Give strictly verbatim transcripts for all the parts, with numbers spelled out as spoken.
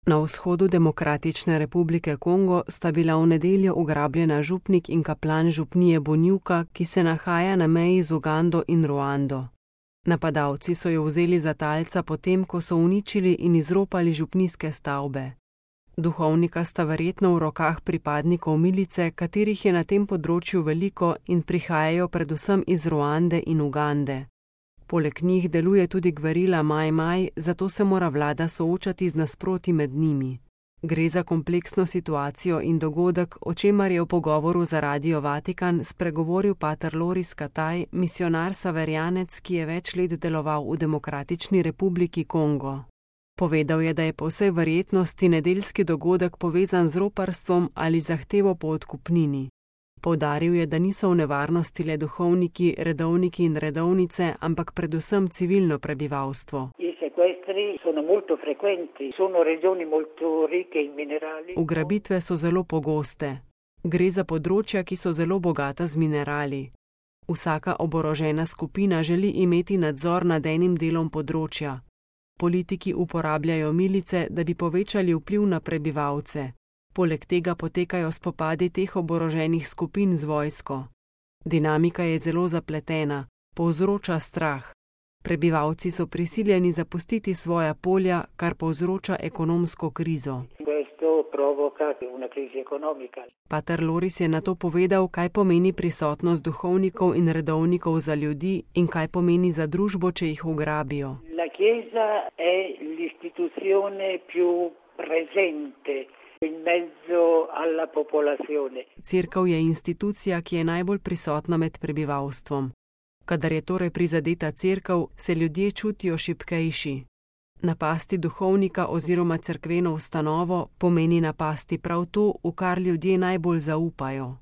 Na vzhodu Demokratične republike Kongo sta bila v nedeljo ugrabljena župnik in kaplan župnije Bonjuka, ki se nahaja na meji z Ugando in Ruando. Napadalci so jo vzeli za talca potem, ko so uničili in izropali župnijske stavbe. Duhovnika sta verjetno v rokah pripadnikov milice, katerih je na tem področju veliko in prihajajo predvsem iz Ruande in Ugande. Poleg njih deluje tudi gverila Maj Maj, zato se mora vlada soočati z nasproti med njimi. Gre za kompleksno situacijo in dogodek, o čemer je v pogovoru za Radio Vatikan spregovoril pater Loris Kataj, misionar saverjanec, ki je več let deloval v Demokratični republiki Kongo. Povedal je, da je po vsej verjetnosti nedeljski dogodek povezan z roparstvom ali zahtevo po odkupnini. Poudaril je, da niso v nevarnosti le duhovniki, redovniki in redovnice, ampak predvsem civilno prebivalstvo. Ugrabitve so zelo pogoste. Gre za področja, ki so zelo bogata z minerali. Vsaka oborožena skupina želi imeti nadzor nad enim delom področja. Politiki uporabljajo milice, da bi povečali vpliv na prebivalce. Poleg tega potekajo spopadi teh oboroženih skupin z vojsko. Dinamika je zelo zapletena, povzroča strah. Prebivalci so prisiljeni zapustiti svoja polja, kar povzroča ekonomsko krizo. Pater Loris je nato povedal, kaj pomeni prisotnost duhovnikov in redovnikov za ljudi in kaj pomeni za družbo, če jih ugrabijo. Cerkev je institucija, ki je najbolj prisotna med prebivalstvom. Kadar je torej prizadeta cerkev, se ljudje čutijo šibkejši. Napasti duhovnika oziroma cerkveno ustanovo pomeni napasti prav to, v kar ljudje najbolj zaupajo.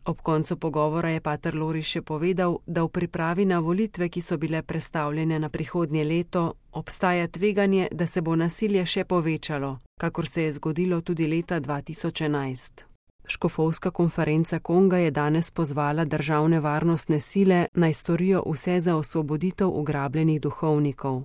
Ob koncu pogovora je pater Loris še povedal, da v pripravi na volitve, ki so bile prestavljene na prihodnje leto, obstaja tveganje, da se bo nasilje še povečalo, kakor se je zgodilo tudi leta dva tisoč enajst. Škofovska konferenca Konga je danes pozvala državne varnostne sile, naj storijo vse za osvoboditev ugrabljenih duhovnikov.